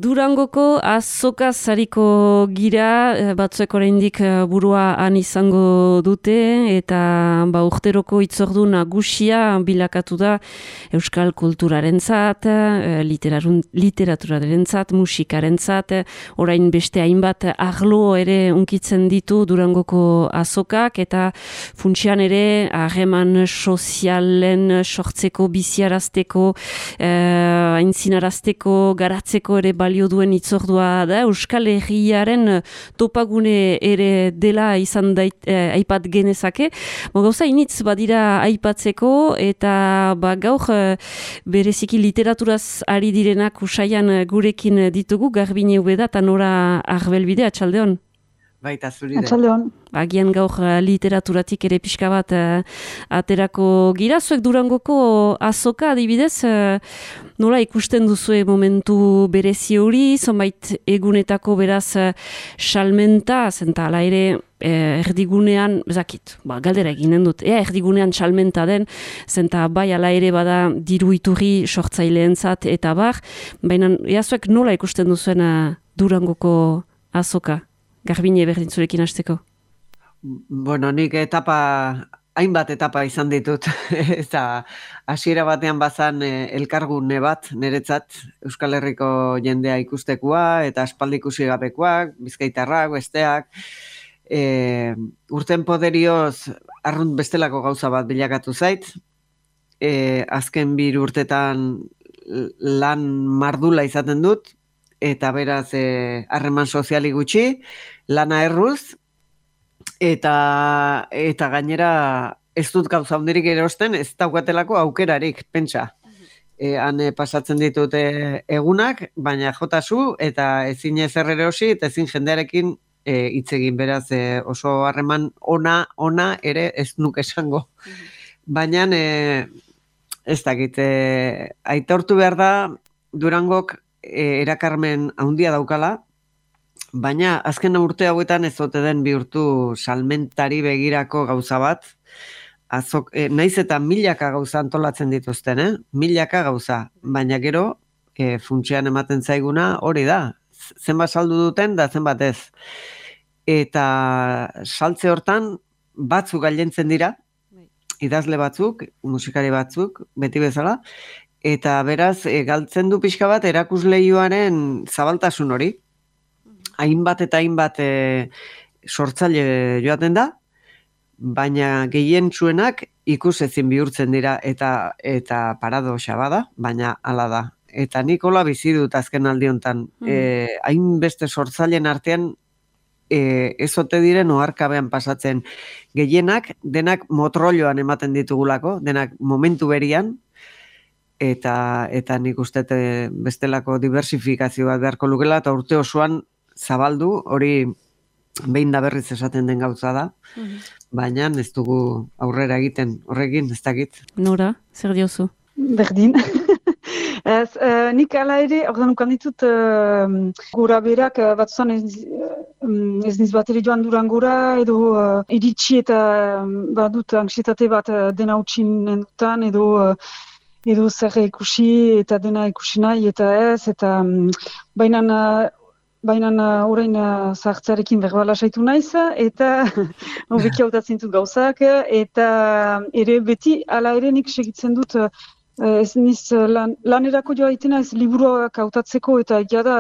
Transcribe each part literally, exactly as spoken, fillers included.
Durangoko azoka zariko gira, batzuek oraindik burua han izango dute, eta ba, urteroko itzordu nagusia bilakatu da euskal kulturarentzat, literaturarentzat, musikarentzat, orain beste hainbat arlo ere unkitzen ditu Durangoko azokak, eta funtsian ere harreman sozialen sortzeko, biziarazteko, eh, aintzinarazteko, garatzeko ere balio duen itzordua da. Euskal Herriaren topagune ere dela izan dait, eh, aipat genezake. Bo, gauza initz badira aipatzeko, eta ba, gaur eh, bereziki literaturaz ari direnak usaian gurekin ditugu, Garbine Ubeda eta Nora Arbelbide, atxaldeon. Baita zuri da. Atxaldeon. Agian gaur literaturatik ere pixka bat uh, aterako gira. Zuek Durangoko azoka adibidez, uh, nola ikusten duzue momentu berezi hori, zonbait egunetako beraz uh, salmenta, zenta ala ere eh, erdigunean, zakit, ba, galdera eginen dut, ea erdigunean salmenta den, zenta bai ala ere bada diru iturri sortzaileentzat eta bar, baina ea zuek nola ikusten duzuen uh, Durangoko azoka? Garbine berdin zurekin hasteko. Bueno, nik etapa, hainbat etapa izan ditut. Eta hasiera batean bazan eh, elkargune bat, niretzat, Euskal Herriko jendea ikustekoa, eta aspaldi ikusi gabekoak, bizkaitarrak, besteak. E, urten poderioz, arrunt bestelako gauza bat bilakatu zait. E, azken bir urtetan lan mardula izaten dut, eta beraz harreman e, soziali gutxi, lana erruz, eta, eta gainera ez dut gauza hundirik erosten, ez daukatelako aukerarik, pentsa. E, han e, pasatzen ditute egunak, baina jotazu, eta ezin ezer erosi, eta ezin jendearekin e, hitz egin, beraz e, oso harreman ona, ona ere ez nuke esango. Baina e, ez dakit, e, aitortu behar da, Durangok erakarmen handia daukala, baina azken urte hauetan ez ote den bihurtu salmentari begirako gauza bat, azok, eh, naiz eta milaka gauza antolatzen dituzten, eh? milaka gauza, baina gero eh, funtsian ematen zaiguna hori da, zenbat saldu duten da zenbat ez. Eta saltze hortan batzuk gailentzen dira, idazle batzuk, musikari batzuk, beti bezala, eta beraz, e, galtzen du pixka bat erakusleioaren zabaltasun hori. Hainbat eta hainbat e, sortzaile joaten da, baina gehien txuenak ikus ezin bihurtzen dira, eta eta paradoxa bada, baina hala da. Eta nik hola bizi dut azken aldi hontan. Mm. E, hainbeste sortzaileen artean e, ez ote diren oharkabean pasatzen. Gehienak, denak motrolloan ematen ditugulako, denak momentu berian, eta eta nik uste bestelako diversifikazio bat beharko lukela, eta urte osoan zabaldu, hori behin da berriz esaten den gauza da, mm-hmm. baina ez dugu aurrera egiten, horrekin ez dakit. Nora, zer diozu? Berdin. Ez, uh, nik ala ere, ordan ukan ditut, uh, gora berak, uh, batzuzan ez, uh, ez niz bat ere joan Durangora, edo uh, iritsi eta um, badut anxietate bat uh, dena utxin endutan, edo uh, edo zer ikusi eta dena ikusi nahi eta ez, eta um, bainan, uh, bainan uh, orain uh, zahartzarekin berbala saitu naiz, eta hobeki hautatzen dut gauzak, eta ere beti, ala ere nik segitzen dut, uh, ez niz lan, lanerako joa itena ez liburuak hautatzeko, eta egia da,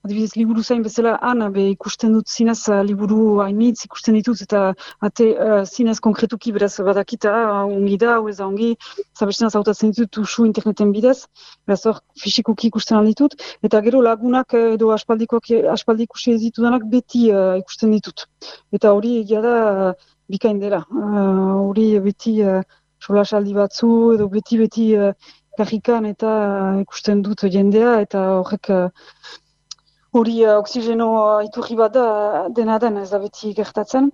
adibidez, liburu zain bezala han, be ikusten dut zinez liburu hainitz ikusten ditut, eta ate uh, zinez konkretuki beraz badakita, uh, ongi da, hau ez da ongi, zabestenaz hautatzen ditut usu interneten bidez, beraz hor fisikoki ikusten alditut, eta gero lagunak edo aspaldikoak, aspaldi ikusi ez ditudanak beti uh, ikusten ditut. Eta hori egia da uh, bikain dela, hori uh, beti uh, solasaldi batzu, edo beti-beti uh, karrikan eta uh, ikusten dut jendea, eta horrek uh, hori uh, oksigeno uh, iturri bat da, dena den ez da beti gertatzen.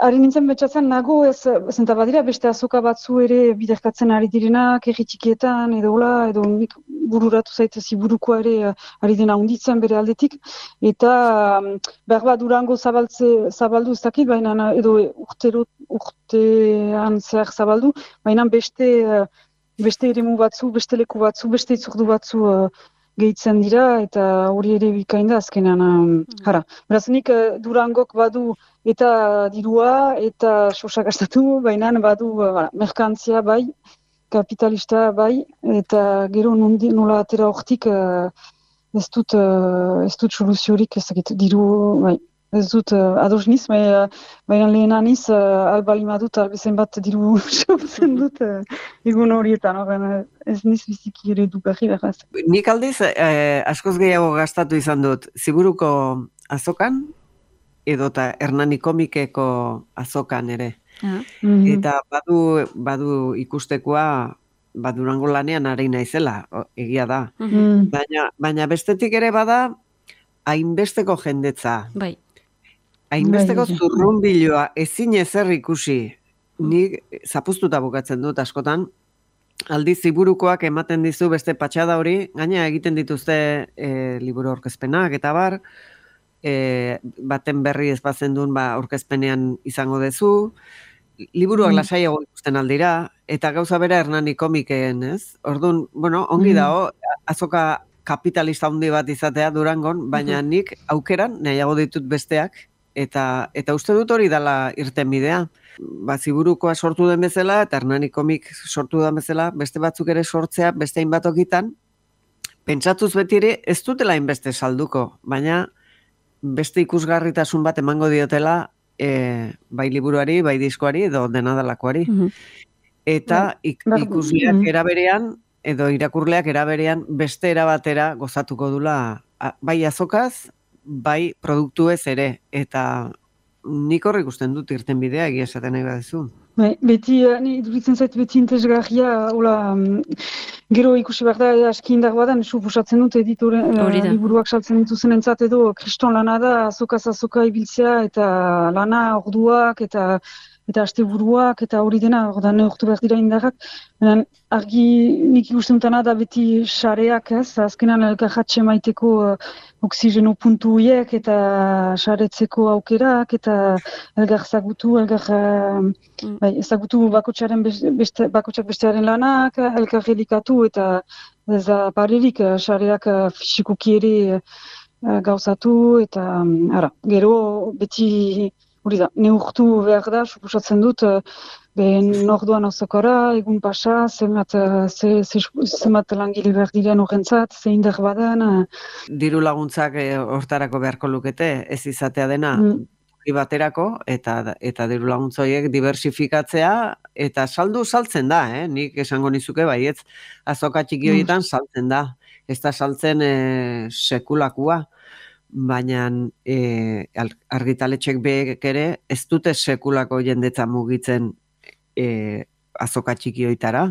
Ari nintzen betxatzen nago, ez, zenta badira beste azoka batzu ere biderkatzen ari direnak, erritikietan, edo hola, edo nik bururatu zaitez burukoa ere uh, ari dena hunditzen bere aldetik, eta um, behar bat Durango zabaltze, zabaldu ez dakit, baina edo urtero, urtean zehar zabaldu, baina beste, uh, beste eremu batzu, beste leku batzu, beste itzordu batzu uh, gehitzen dira, eta hori ere bikain da azkenean. Um, Hara, beraz nik uh, Durangok badu eta dirua, eta sosa gastatu, baina badu uh, merkantzia bai, kapitalista bai, eta gero nondi, nola atera hortik uh, ez dut, uh, ez dut soluziorik, ez dakit, diru, bai. Ez dut uh, ados niz, baina baina lehen aniz, uh, albali madut, albezen bat diru sortzen dut uh, egun horietan, horren ez niz biziki ere dugarri beraz. Nik aldiz, eh, askoz gehiago gastatu izan dut, Ziburuko azokan, edota Hernani komikeko azokan ere. Ah. Mhm. Eta badu, badu ikustekoa, ba, Durango lanean ari naizela, o- egia da. Mm. Baina, baina bestetik ere bada, hainbesteko jendetza, Bai. hainbesteko Bai, bai. zurrunbiloa, ezin ezer ikusi, nik zapuztuta bukatzen dut askotan, aldiz Ziburukoak ematen dizu beste patxada hori, gaina egiten dituzte e, liburu aurkezpenak eta bar, e, baten berri ez bazendun ba, aurkezpenean izango dezu, liburuak Mm. lasaiago ikusten aldira, eta gauza bera Hernani komikeen, ez? Orduan, bueno, ongi Mm. dago, azoka kapitalista handi bat izatea Durangon, baina nik aukeran nahiago ditut besteak, eta eta uste dut hori dala irtenbidea. Ba, Ziburukoa sortu den bezala, eta Hernani komik sortu den bezala, beste batzuk ere sortzea, beste hainbat okitan, pentsatuz beti ere ez dutela hainbeste salduko, baina beste ikusgarritasun bat emango diotela e, bai liburuari, bai diskoari, edo dena dalakoari. Mhm. Eta ik, Bai, ikusleak mhm. eraberean, edo irakurleak eraberean beste erabatera gozatuko dula, a- bai azokaz, bai produktuez ere, eta nik hor ikusten dut irtenbidea egia esaten nahi baduzu. Bai, beti, eh, ni iduritzen zait beti interesgarria, hola, mm, gero ikusi behar da, aski indar badan, suposatzen dut editore, eh, Hori da. liburuak saltzen dituzen entzat edo, kriston lana da, azokaz azoka ibiltzea, eta lana, orduak, eta eta asteburuak, eta hori dena, orda neurtu behar dira indarrak. Baina, argi nik ikusten dutana da beti sareak, ez, azkenan elkarratxe maiteko uh, oksigeno puntu horiek, eta saretzeko aukerak, eta elgar zagutu, elgar... Uh, Mm. Bai, ezagutu bakotsaren beste, beste, bakotsak bestearen lanak, elkar elikatu eta ez da parerik, eh, sareak eh, fisikoki ere eh, gauzatu eta mm, ara, gero beti hori da, neurtu behar da, suposatzen dut, eh, behen orduan azokara, egun pasa, zenbat, eh, ze, ze, zenbat langile behar diren horrentzat, ze indar badan. eh, Diru laguntzak eh, hortarako beharko lukete, ez izatea dena, mm, toki baterako, eta eta diru laguntza horiek diversifikatzea, eta saldu saltzen da, eh? Nik esango nizuke baietz, azoka txiki horietan saltzen da. Ez da saltzen eh, sekulakua, baina eh, al- argitaletxek beek ere ez dute sekulako jendetza mugitzen eh, azoka txiki horietara.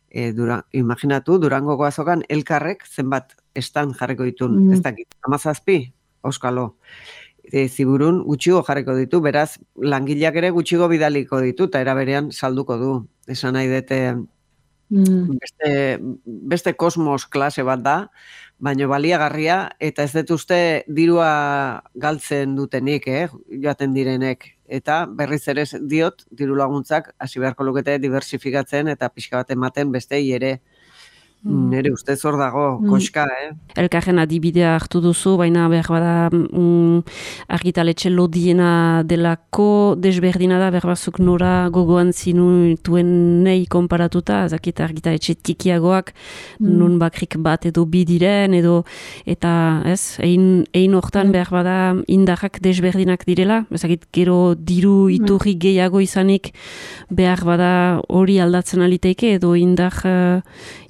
E, dura, imaginatu, Durangoko azokan elkarrek zenbat estan jarriko ditun, Mm. ez dakit, amazazpi, auskalo. E, Ziburun gutxigo jarriko ditu, beraz, langileak ere gutxigo bidaliko ditu, eta era berean salduko du. Esan nahi dute, mm, beste, beste kosmos klase bat da, baino baliagarria, eta ez dut uste dirua galtzen dutenik, eh, joaten direnek. Eta berriz ere diot, diru laguntzak hasi beharko lukete diversifikatzen eta pixka bat ematen bestei ere. Mm. Nere ustez hor dago, Mm. koska, eh? Elkarren adibidea hartu duzu, baina behar bada mm, argitaletxe lodiena delako desberdina da, behar bazuk nora gogoan zinutuen nahi konparatuta, ezakit argitaletxe tikiagoak, Mm. nun bakrik bat edo bi diren, edo, eta ez, ein, ein hortan Mm. behar bada indarrak desberdinak direla, ezakit gero diru iturri gehiago izanik behar bada hori aldatzen aliteike, edo indar, uh,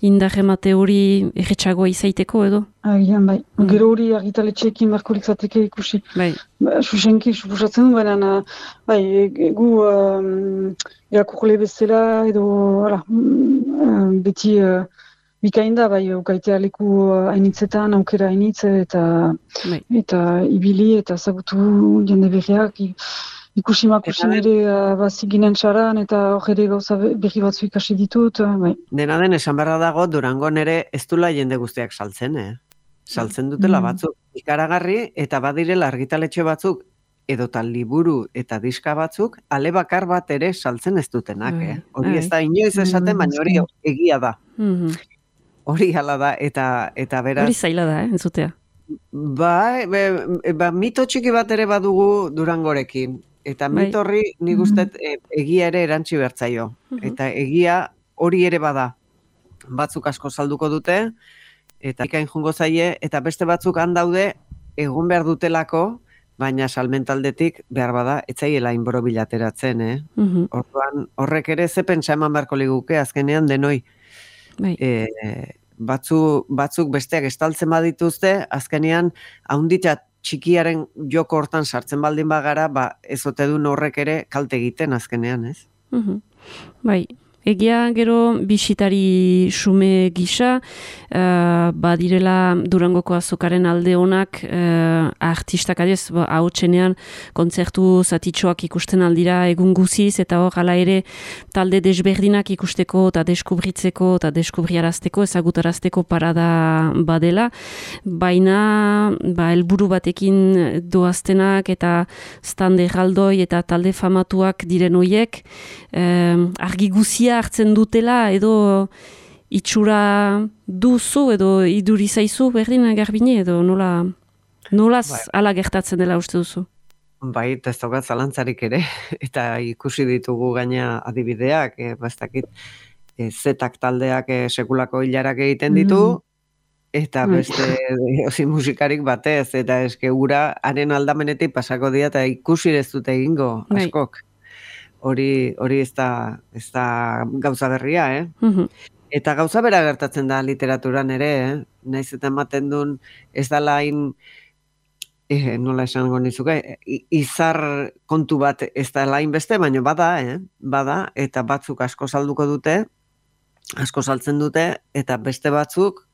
indar emate hori erretxagoa izaiteko edo? Agian, bai. Mm. Gero hori argitaletxeekin beharko litzateke ikusi. Bai. Ba, Susenki, suposatzen du, baina, bai, e- gu um, irakurle bezala edo, hala, mm, beti uh, bikain da, bai, ukaitea leku uh, hainitzetan, aukera hainitz, eta, Bai. eta ibili, eta zagutu jende berriak, i- ikusi makusin Eta ere uh, bazik ginen saran, eta hor ere gauza be- berri batzu ikasi ditut, uh, bai. Dena den esan beharra dago, Durangon ere ez dula jende guztiak saltzen, eh? Saltzen dutela Mm. batzuk ikaragarri, eta badirela argitaletxe batzuk, edota liburu eta diska batzuk, ale bakar bat ere saltzen ez dutenak, Bai, eh? Hori bai. ez da inoiz esaten, Mm, baina hori egia da. Mhm. hori hala da, eta, eta beraz... Hori zaila da, eh, entzutea. Ba, be, ba, mito txiki bat ere badugu Durangorekin. Eta Bai. mito horri nik uste e, egia ere erantzi bertzaio. Eta egia hori ere bada. Batzuk asko salduko dute, eta ikain jungo zaie, eta beste batzuk handaude egon behar dutelako, baina salmentaldetik behar bada, etzaiela inboro bilateratzen, eh? Mhm. Orduan, horrek ere ze pentsa eman beharko liguke, azkenean denoi. Bai. E, batzu, batzuk besteak estaltzen badituzte, azkenean haunditza txikiaren joko hortan sartzen baldin bagara, ba, ez ote duen horrek ere kalte egiten azkenean, ez? Mhm. Bai. Egia gero bisitari xume gisa, uh, badirela Durangoko azokaren alde honak uh, artistak adiez, ba, ahotsenean kontzertu zatitxoak ikusten aldira egun guziz, eta hor hala ere talde desberdinak ikusteko eta deskubritzeko eta deskubriarazteko, ezagutarazteko parada badela, baina ba, helburu batekin doaztenak eta stand erraldoi eta talde famatuak diren hoiek, um, argi guzia hartzen dutela edo itxura duzu edo iduri zaizu berdin Garbine edo nola nolaz Bai. ala gertatzen dela uste duzu? Bai, ez daukat zalantzarik ere, eta ikusi ditugu gaina adibideak, e, bastakit, e, zetak taldeak e, sekulako hilarak egiten ditu, eta beste osi musikarik batez, eta eske ura haren aldamenetik pasako dira, eta ikusi ez dute egingo, Bai. askok. Hori, hori ez da, ez da gauza berria, eh? Mhm. Eta gauza bera gertatzen da literaturan ere, eh? Naiz eta ematen duen ez da lain, eh, nola esango nizuke, i- izar kontu bat ez da lain beste, baina bada, eh? Bada, eta batzuk asko salduko dute, asko saltzen dute, eta beste batzuk,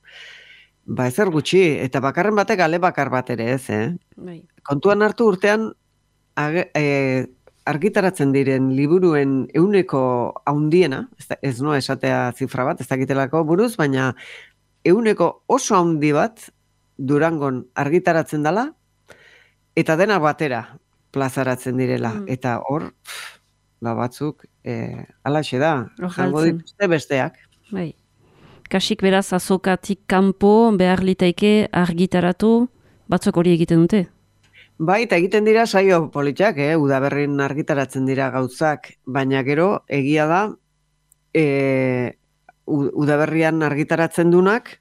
ba ezer gutxi, eta bakarren batek ale bakar bat ere ez, eh? Bai. Kontuan hartu urtean, age, eh, argitaratzen diren liburuen euneko haundiena, ez, da, ez noa esatea zifra bat, ez dakitelako buruz, baina euneko oso haundi bat Durangon argitaratzen dela, eta dena batera plazaratzen direla. Mm. Eta hor, pff, ba batzuk, e, alaxe da, Hor jango galtzen. dituzte besteak. Bai. Kasik beraz azokatik kanpo behar litaike argitaratu, batzuk hori egiten dute. Bai, eta egiten dira saio politxak, eh? Udaberrin argitaratzen dira gauzak, baina gero egia da e, udaberrian argitaratzen dunak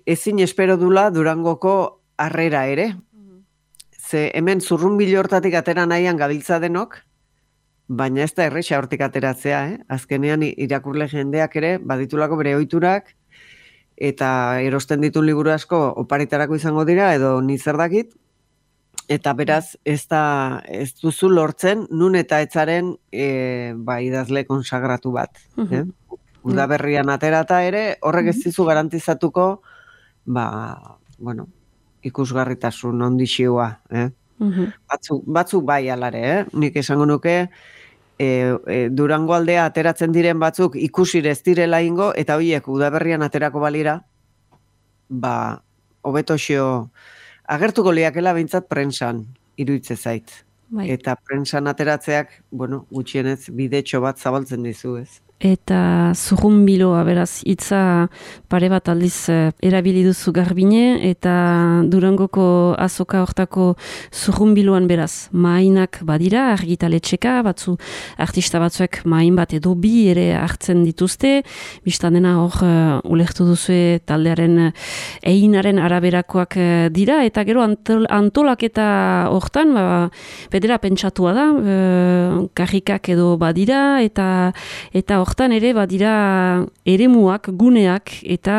ezin espero dula Durangoko harrera ere. Ze hemen zurrunbilo hortatik atera nahian gabiltza denok, baina ez da erresa hortik ateratzea, eh? Azkenean irakurle jendeak ere baditulako bere ohiturak eta erosten ditun liburu asko oparitarako izango dira edo ni zer dakit. Eta beraz, ez da, ez duzu lortzen, nun eta etzaren e, ba, idazle konsagratu bat. Eh? Udaberrian aterata ere, horrek ez dizu garantizatuko, ba, bueno, ikusgarritasun ondixioa. Eh? Batzuk, batzuk bai alare, eh? Nik esango nuke, e, e, Durango aldea ateratzen diren batzuk ikusire ez direla ingo, eta horiek udaberrian aterako balira, ba, hobetoxio agertuko liakela behintzat prentsan, iruitze zait. Bai. Eta prentsan ateratzeak, bueno, gutxienez bidetxo bat zabaltzen dizu, ez? Eta zurrunbiloa, beraz, hitza pare bat aldiz eh, erabili duzu Garbine, eta Durangoko azoka hortako zurrunbiloan beraz, mainak badira, argitaletxeka, batzu artista batzuek main bat edo bi ere hartzen dituzte, biztan dena hor uh, ulertu duzue taldearen uh, einaren araberakoak uh, dira, eta gero antol, antolaketa hortan, ba, bedera pentsatua da, uh, karrikak edo badira, eta eta hortan ere badira eremuak, guneak eta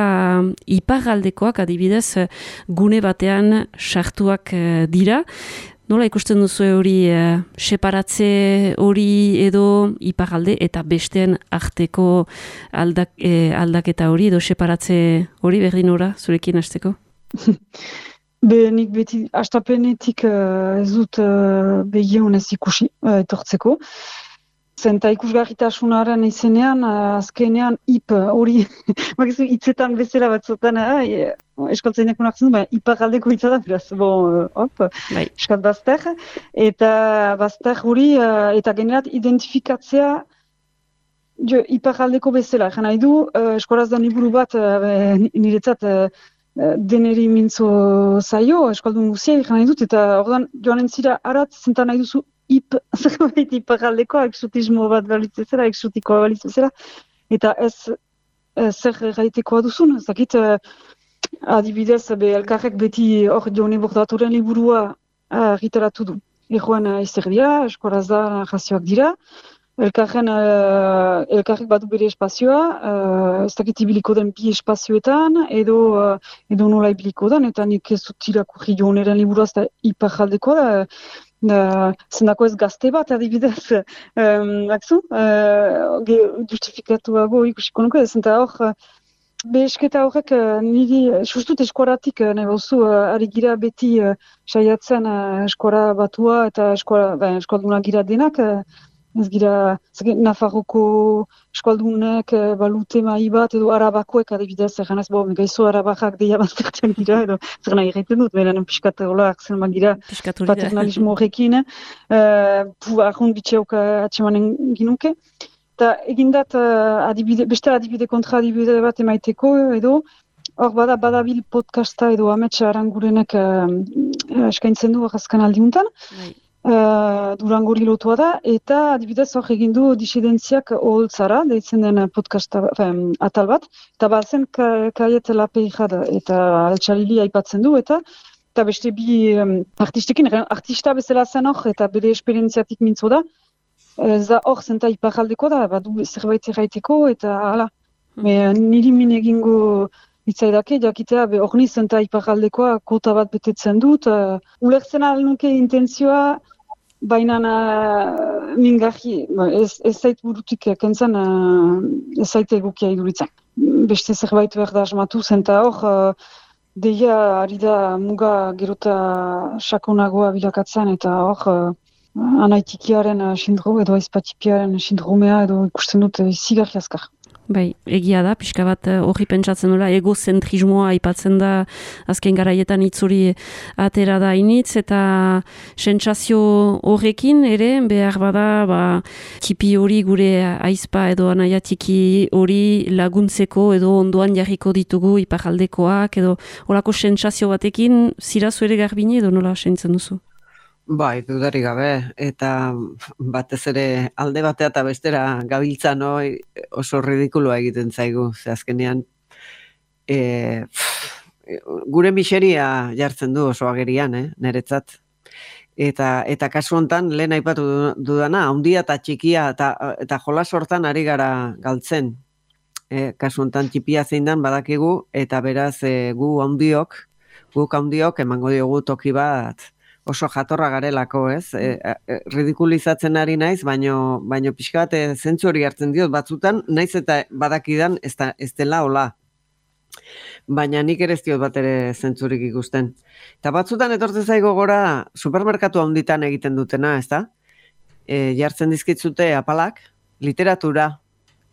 iparraldekoak adibidez gune batean sartuak dira. Nola ikusten duzu hori eh, separatze hori edo iparralde eta besteen arteko aldak, eh, aldaketa hori edo separatze hori berdin ora zurekin hasteko? Be, nik beti astapenetik uh, ez dut uh, begionez ikusi uh, etortzeko. Zenta ikusgarritasunaren izenean, uh, azkenean ip hori, bakizu hitzetan bezala batzutan, uh, eskaltzainak unartzen du, baina iparraldeko hitza da, beraz, bon, uh, hop, Bai. eskat bazter, eta bazter hori, uh, eta generat identifikatzea jo, iparraldeko bezala, jana nahi du, uh, eskoraz da liburu bat, uh, niretzat, uh, deneri mintzo zaio, eskaldun guzia, jana nahi dut, eta ordan joanen zira arat, zentan nahi duzu ip, zerbait iparraldeko, exotismo bat balitzezera, exotikoa balitzezera, eta ez, ez zer gaitekoa duzun, ez dakit, uh, adibidez, be, elkarrek beti hor Jone Bordaturen liburua argitaratu du. Ejoan izter dira, eskoraz da jazioak dira, elkarren, uh, elkarrek badu bere espazioa, uh, ez dakit ibiliko den bi espazioetan, edo, uh, edo nola ibiliko den, eta nik ez dut irakurri Joneren liburua, ez da iparjaldeko da, Uh, zendako ez gazte bat, adibidez, um, akzu, uh, justifikatua ikusiko nuke, zenta hor, behesketa horrek niri, sustut eskoratik, nahi bauzu, uh, ari gira beti uh, saiatzen uh, eskora batua eta eskora, ben, eskalduna gira denak, uh, ez gira, zake, Nafarroko eskaldunek uh, balute mai bat, edo arabakoek adibidez, egan ez, bo, gaizo arabakak deia baztertzen gira, edo zer nahi egiten dut, beren piskat hola akzen magira paternalismo horrekin, uh, pu, ahun bitxeok atsemanen ginuke. Eta egindat uh, adibide, beste adibide kontra adibide bat emaiteko edo, hor bada badabil podcasta edo ametsa arangurenek uh, eskaintzen du azken aldiuntan, uh, Durangori lotua da, eta adibidez hor egin du disidentziak oholtzara, deitzen den podcasta, fin, atal bat, eta bazen Kaiet Lapeijad eta Altxalili aipatzen du, eta eta beste bi um, artistekin, artista bezala zen hor, eta bere esperientziatik mintzo da, ez da hor zenta iparjaldeko da, badu zerbait erraiteko, eta hala. Mm. Niri min egingo hitzaidake, jakitea, hor ni zenta iparjaldekoa kota bat betetzen dut. Uh, ulertzen alnuke intentzioa, baina uh, mingarri, ez, ez zait burutik kentzen, uh, ez zait egukia iduritzen. Beste zerbait behar da asmatu, zenta hor, uh, deia ari da muga gerota sakonagoa bilakatzen, eta hor, uh, anaitikiaren sindrome edo aizpatipiaren sindromea edo ikusten dut izigarri azkar. Bai, egia da, pixka bat horri pentsatzen dela, egozentrismoa aipatzen da azken garaietan itzuri atera da initz, eta sentsazio horrekin ere, behar bada, ba, tipi hori gure aizpa edo anaiatiki hori laguntzeko edo ondoan jarriko ditugu iparaldekoak, edo horako sentsazio batekin, zirazu ere garbine edo nola sentzen duzu? Bai, dudarik gabe, eta batez ere alde batea eta bestera gabiltza noi oso ridikulua egiten zaigu, ze azkenean e, gure miseria jartzen du oso agerian, eh, niretzat. Eta, eta kasu hontan lehen aipatu dudana, handia eta txikia eta, eta jolas hortan ari gara galtzen. E, kasu hontan txipia zein dan badakigu, eta beraz e, gu handiok, guk handiok emango diogu toki bat, oso jatorra garelako, ez? E, e, ridikulizatzen ari naiz, baino, baino pixka bat zentzu hori hartzen diot batzutan, naiz eta badakidan ez, da, ez dela hola. Baina nik ere ez diot bat ere zentzurik ikusten. Eta batzutan etortzen zaigo gora supermerkatu handitan egiten dutena, ez da? E, jartzen dizkitzute apalak, literatura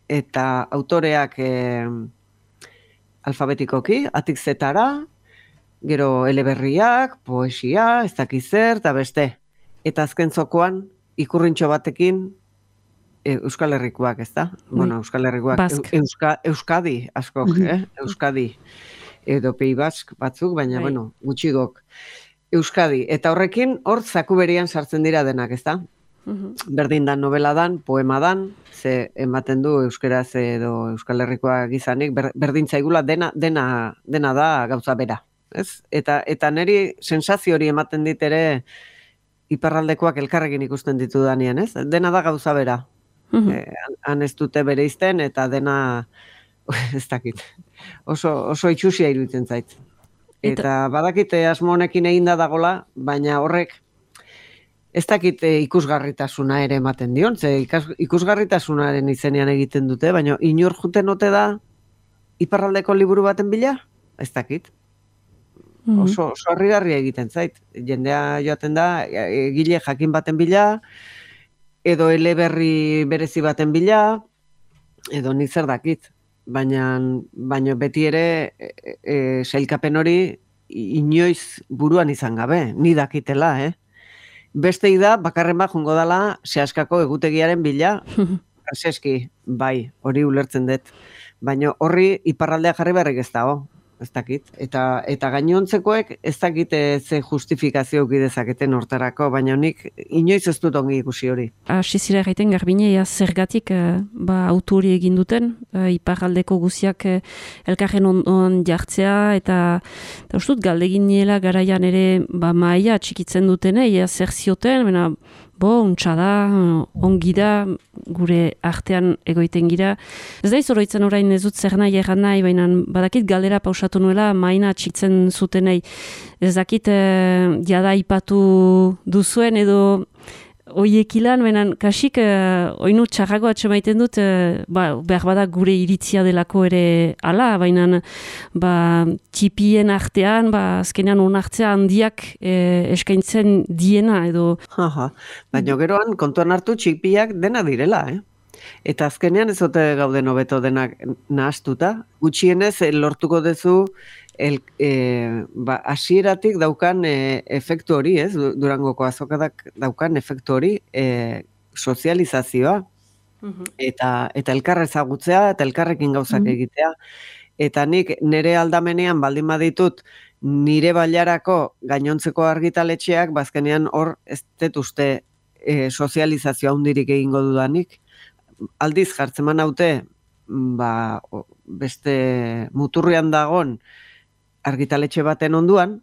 eta autoreak e, alfabetikoki, atik zetara, gero eleberriak, poesia, ez dakiz zer, eta beste. Eta azken zokoan, ikurrintxo batekin, e, Euskal Herrikoak, ez da? Mm. Bueno, Euskal Herrikoak, Euska, Euskadi, askok, mm-hmm. eh? Euskadi. Edo Pei Bask batzuk, baina, right. bueno, gutxigok. Euskadi. Eta horrekin, hor zaku berian sartzen dira denak, ez da? Mm-hmm. Berdin dan novela dan, poema dan, ze ematen du euskeraz edo Euskal Herrikoak izanik, ber, berdin zaigula dena, dena, dena da gauza bera. Ez? Eta, eta niri sensazio hori ematen dit ere iparraldekoak elkarrekin ikusten ditu danean, ez? Dena da gauza bera. Mm-hmm. E, han ez dute bere izten, eta dena, ez dakit, oso, oso itxusia iruditzen zait. Eta, eta badakite asmo honekin eginda dagola, baina horrek ez dakit ikusgarritasuna ere ematen dion, ze ikusgarritasunaren izenean egiten dute, baina inor juten ote da iparraldeko liburu baten bila? Ez dakit. Oso, oso harrigarria egiten zait. Jendea joaten da, egile jakin baten bila, edo eleberri berezi baten bila, edo nik zer dakit. Baina, baina beti ere e, e, sailkapen hori inoiz buruan izan gabe, ni dakitela, eh? Bestei da, bakarren bat jungo dala, sehaskako egutegiaren bila, preseski, bai, hori ulertzen dut. Baina horri iparraldea jarri beharrik ez dago. Ez dakit. Eta, eta gainontzekoek ez dakit ze justifikazio uki dezaketen hortarako, baina nik inoiz ez dut ongi ikusi hori. Hasi zira egiten garbine, ja, zergatik eh, ba, autu hori egin duten, eh, iparraldeko guziak eh, elkarren ondoan jartzea, eta, eta ustut galdegin niela garaian ere ba, maia txikitzen dutene, ja, zer zioten, bena, bo, untsa da, ongi da, gure artean egoiten gira. Ez da izoroitzen orain ez dut zer nahi egan nahi, baina badakit galdera pausatu nuela maina txitzen zutenei. Ez dakit eh, jada ipatu duzuen edo oiekilan, baina kasik eh, oinu txarrago atxemaiten dut, eh, ba, behar bada gure iritzia delako ere ala, baina ba, txipien artean, ba, azkenean onartzea handiak eh, eskaintzen diena edo... Aha, baina geroan kontuan hartu txipiak dena direla, eh? Eta azkenean ez ote gauden hobeto denak nahastuta. Gutxienez lortuko duzu el, e, ba, asieratik daukan e, efektu hori, ez? Durangoko azokadak daukan efektu hori, e, sozializazioa. Uh-huh. Eta, eta elkar ezagutzea, eta elkarrekin gauzak uh-huh. egitea. Eta nik nire aldamenean baldin baditut nire bailarako gainontzeko argitaletxeak, bazkenean hor ez dut uste e, sozializazioa hundirik egingo dudanik. Aldiz jartzeman haute, ba, beste muturrian dagon argitaletxe baten onduan,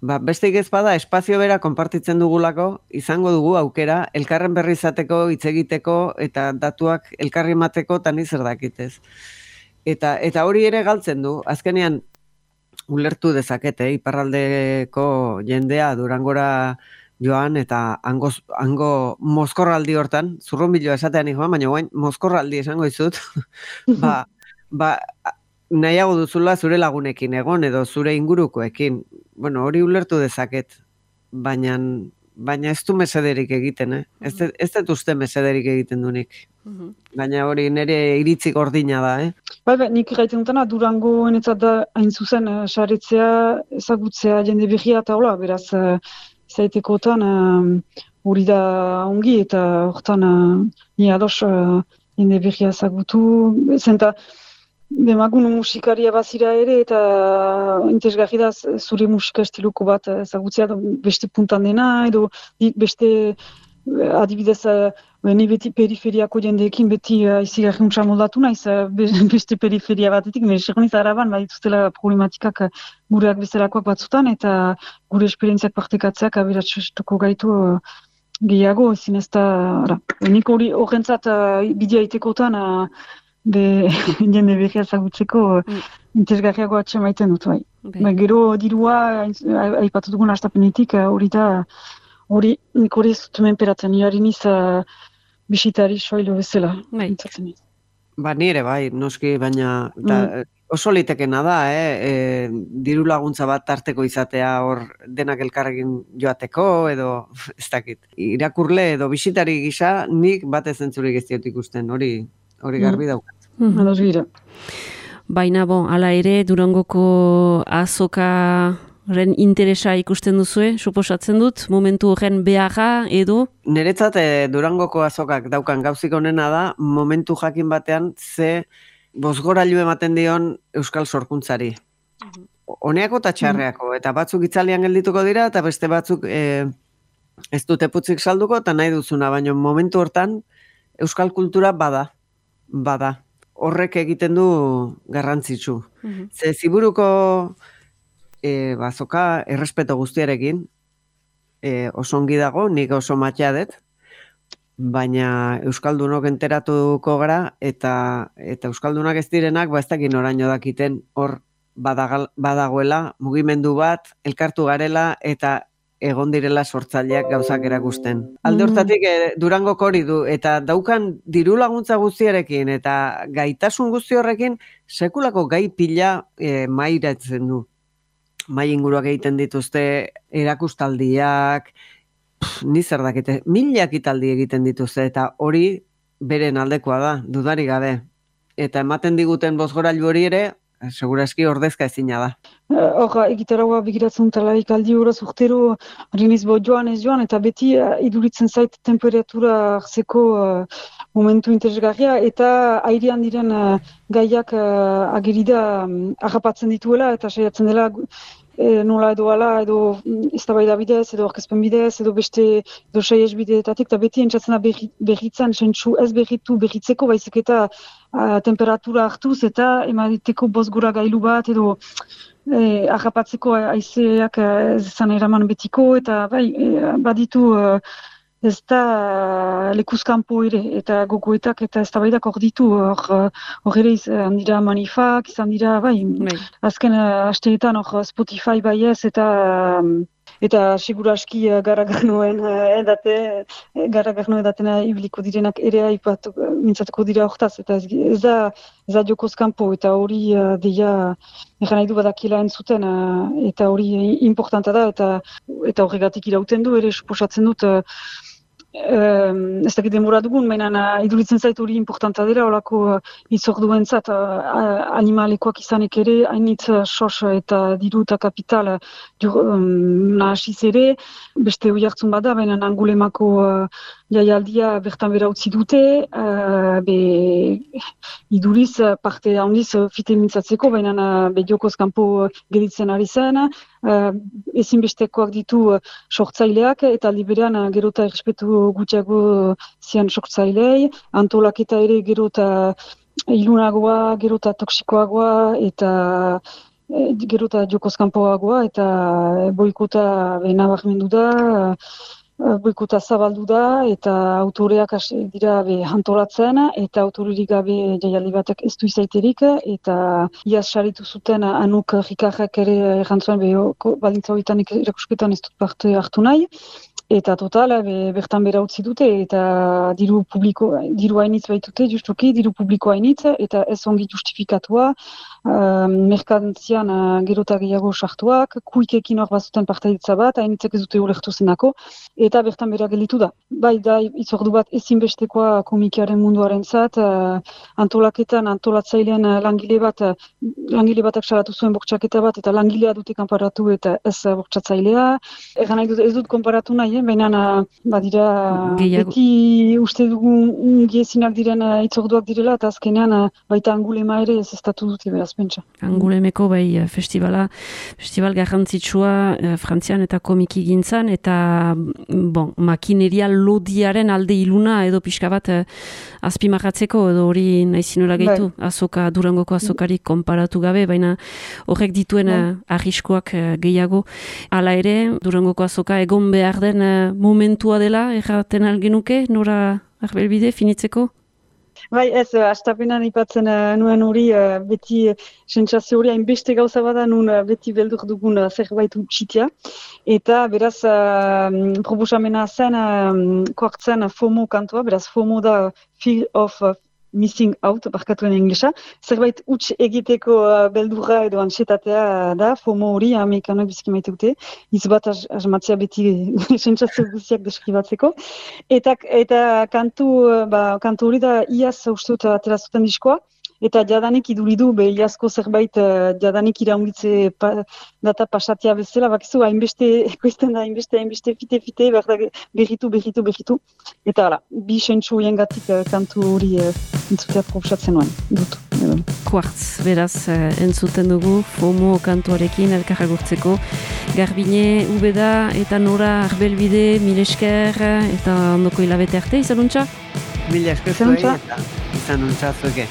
ba, beste ez bada espazio bera konpartitzen dugulako, izango dugu aukera, elkarren berri izateko, hitz egiteko, eta datuak elkarri emateko, eta ni zer dakitez. Eta, eta hori ere galtzen du, azkenean ulertu dezakete, iparraldeko jendea Durangora joan, eta hango, hango mozkorraldi hortan, zurrunbiloa esatean joan, baina guain mozkorraldi esango izut, ba, ba, nahiago duzula zure lagunekin egon, edo zure ingurukoekin. Bueno, hori ulertu dezaket, baina, baina ez du mesederik egiten, eh? Ez, ez dut uste mesederik egiten dunik. Baina hori nire iritzi gordina da, eh? Bai, bai, nik gaiten dutena, Durango enetzat da hain zuzen, saretzea, ezagutzea jende berria eta hola, beraz, zaitekotan hori uh, da ongi eta hortan uh, ni ados uh, jende berria ezagutu, zenta demagun musikaria bazira ere eta interesgarri da zure musika estiluko bat ezagutzea beste puntan dena edo beste adibidez ni beti periferiako jendeekin beti izigarri untsa moldatu naiz beste periferia batetik, nire seguniz araban badituztela problematikak gureak bezalakoak batzutan eta gure esperientziak partekatzeak aberatsuko gaitu gehiago, ezin ez da, nik hori horrentzat bidea itekotan be jende berria ezagutzeko mm. interesgarriago atxemaiten dut, bai. Ba, gero dirua, aipatu dugun hastapenetik, hori da, hori nik hori ez dut menperatzen, nire niz bisitari soilo bezala. Bai. Ba, nire bai, noski, baina da, mm. oso litekena da, eh? E, diru laguntza bat tarteko izatea hor denak elkarrekin joateko, edo ez dakit. Irakurle edo bisitari gisa, nik batez entzurik ez diot ikusten, hori hori garbi daukat. Mm. Ados gira. Baina, bon, ala ere, Durangoko azokaren interesa ikusten duzue, suposatzen dut, momentu horren beharra edo? Niretzat, eh, Durangoko azokak daukan gauzik onena da, momentu jakin batean ze bozgorailu ematen dion euskal sorkuntzari. Mm-hmm. Honeako eta txarreako, mm-hmm. eta batzuk itzalian geldituko dira, eta beste batzuk eh, ez dute putzik salduko, eta nahi duzuna, baina momentu hortan euskal kultura bada. Bada, horrek egiten du garrantzitsu. Mm-hmm. Ze ziburuko e, bazoka errespeto guztiarekin, e, oso ongi dago, nik oso matxea dut, baina euskaldunok enteratuko gara, eta eta euskaldunak ez direnak, ba ez dakin oraino dakiten hor badagal, badagoela, mugimendu bat, elkartu garela, eta egon direla sortzaileak gauzak erakusten. Alde hortatik e, Durangoko hori du, eta daukan diru laguntza guztiarekin, eta gaitasun guzti horrekin, sekulako gai pila e, mairatzen du. Mai inguruak egiten dituzte, erakustaldiak, pff, ni zer dakite, mila ekitaldi egiten dituzte, eta hori beren aldekoa da, dudari gabe. Eta ematen diguten bozgorailu hori ere, seguraski ordezka ezina da. Hor, egitaragoa begiratzen talaik aldi horaz urtero, rinez bo joan ez joan, eta beti uh, iduritzen zait temperatura hartzeko uh, momentu interesgarria, eta airean diren uh, gaiak uh, agerida um, agapatzen dituela, eta saiatzen dela e, nola edo ala, edo eztabaida bidez, edo orkezpen bidez, edo beste edo saiez bideetatik, eta beti entzatzen da berri, berritzen, sentsu ez berritu berritzeko, baizik eta uh, temperatura hartuz, eta emaditeko bozgura gailu bat, edo Eh, agapatzeko haizeak ez zan eraman betiko, eta bai, eh, baditu eh, ez da lekuzkanpo ere, eta gogoetak eta eztabaidak hor ditu, hor ere izan dira manifak, izan dira, bai, bai. Azken uh, asteetan hor Spotify bai ez, eta um, eta seguraski uh, garagarnoen uh, edate, garagarno edatena ibiliko direnak ere aipatu, uh, mintzatuko dira hortaz, eta ez, ez da ez da jokoz kanpo, eta hori uh, deia egan nahi du badakila entzuten, uh, eta hori importanta da, eta eta horregatik irauten du, ere suposatzen dut, uh, Um, ez dakit demora dugun, mainan uh, iduritzen zait hori importanta dira, holako uh, itzorduen zat, uh, animalekoak izanek ere, hainitz uh, sos eta diru eta kapital uh, um, nahasiz ere, beste hoi hartzun bada, baina Angulemako uh, jaialdia bertan bera utzi dute, uh, be iduriz uh, parte handiz uh, fite mintzatzeko, baina uh, be jokoz kanpo uh, geditzen ari zen, Uh, ezinbestekoak ditu uh, sortzaileak, eta liberean uh, gero eta errespetu gutxiago zian sortzailei, antolaketa ere gero eta ilunagoa, gero eta toksikoagoa, eta eh, gero eta jokozkanpoagoa, eta boikota nabarmendu da, uh, boikota zabaldu da, eta autoreak hasi dira be antolatzen, eta autorerik gabe jaialdi batek ez du izaiterik, eta iaz saritu zuten Anuk Rikarrak ere errantzuen be baldintza horietan erakusketan ez dut parte hartu nahi, eta total, be, bertan bera utzi dute, eta diru publiko, diru hainitz baitute, justuki, diru publiko hainitz, eta ez ongi justifikatua, uh, merkantzian uh, gero eta gehiago sartuak, kuikekin hor bazuten partaidetza bat, hainitzek ez dute ulertu zenako, eta bertan bera gelditu da. Bai, da, itzordu bat ezinbestekoa komikiaren munduaren zat, uh, antolaketan, antolatzailean uh, langile bat, uh, langile batak salatu zuen bortxaketa bat, eta langilea dute kanparatu eta ez uh, bortxatzailea. Egan nahi dut, ez dut konparatu nahi, baina badira Gehiago. Beti uste dugu giezinak diren itzorduak direla, eta azkenean baita Angulema ere ez estatu dute beraz pentsa. Angulemeko bai festivala, festival garrantzitsua Frantzian eta komiki gintzan, eta bon, makineria lodiaren alde iluna edo pixka bat azpimarratzeko, edo hori nahizinola gehitu, bai. Azoka, Durangoko azokari konparatu gabe, baina horrek dituen bai. Arriskoak gehiago. Hala ere, Durangoko azoka egon behar den momentua dela, erraten algenuke, nora arbelbide, finitzeko? Bai, ez, astapenan ipatzen uh, nuen hori, uh, beti uh, sentsazio hori hainbeste gauza bada, nun uh, beti beldur dugun uh, zerbait utxitia. Eta beraz, uh, proposamena zen, uh, koartzen FOMO kantua, beraz FOMO da Fear of uh, Missing Out, barkatuen inglesa. Zerbait huts egiteko uh, beldurra edo ansietatea da, FOMO hori, amerikanoak biziki maite dute, izbat asmatzea beti sentsazio guztiak deskribatzeko. Eta, eta kantu, ba, kantu hori da iaz uste dut atera zuten diskoa, eta jadanik iduridu, be iazko zerbait uh, jadanik iraungitze pa, data pasatia bezala, bakizu, hainbeste, ekoizten da, hainbeste, hainbeste, fite-fite, berritu, berritu, berritu. Eta hala, bi sentsu hiengatik uh, kantu hori uh, entzutea proposatzen nuen, dut. Quartz, beraz, uh, entzuten dugu, FOMO kantuarekin elkarra gurtzeko. Garbine, Ubeda, eta Nora Arbelbide, mil esker, eta ondoko hilabete arte, izanuntza? Mil esker zuei, eta izanuntza zueke.